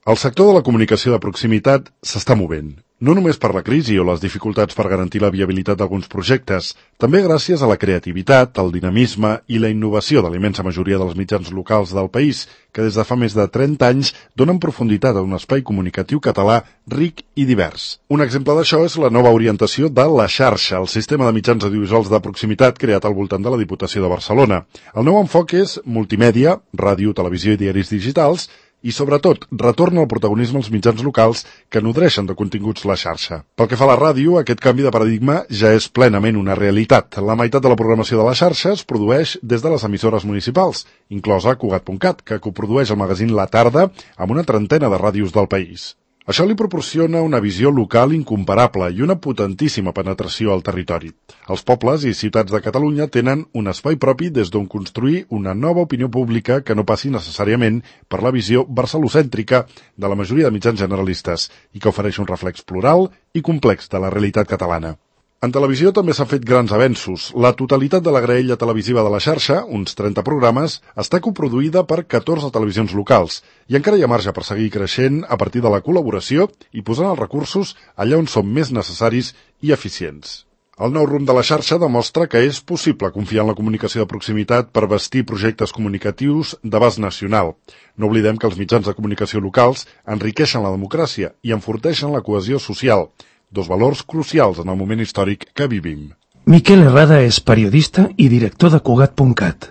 El sector de la comunicació de proximitat s'està movent, no només per la crisi o les dificultats per garantir la viabilitat d'alguns projectes, també gràcies a la creativitat, el dinamisme i la innovació de la immensa majoria dels mitjans locals del país, que des de fa més de 30 anys donen profunditat a un espai comunicatiu català ric i divers. Un exemple d'això és la nova orientació de La Xarxa, el sistema de mitjans audiovisuals de proximitat creat al voltant de la Diputació de Barcelona. El nou enfoc és multimèdia, ràdio, televisió i diaris digitals, i, sobretot, retorna el protagonisme als mitjans locals que nodreixen de continguts la xarxa. Pel que fa a la ràdio, aquest canvi de paradigma ja és plenament una realitat. La meitat de la programació de la xarxa es produeix des de les emissores municipals, inclosa Cugat.cat, que coprodueix el magazín La Tarda amb una trentena de ràdios del país. Això li proporciona una visió local incomparable i una potentíssima penetració al territori. Els pobles i ciutats de Catalunya tenen un espai propi des d'on construir una nova opinió pública que no passi necessàriament per la visió barcelocèntrica de la majoria de mitjans generalistes i que ofereix un reflex plural i complex de la realitat catalana. En televisió també s'han fet grans avenços. La totalitat de la graella televisiva de la xarxa, uns 30 programes, està coproduïda per 14 televisions locals i encara hi ha marge per seguir creixent a partir de la col·laboració i posant els recursos allà on són més necessaris i eficients. El nou rumb de la xarxa demostra que és possible confiar en la comunicació de proximitat per bastir projectes comunicatius d'abast nacional. No oblidem que els mitjans de comunicació locals enriqueixen la democràcia i enforteixen la cohesió social, dos valors crucials en el moment històric que vivim. Miquel Herrada és periodista i director de Cugat.cat.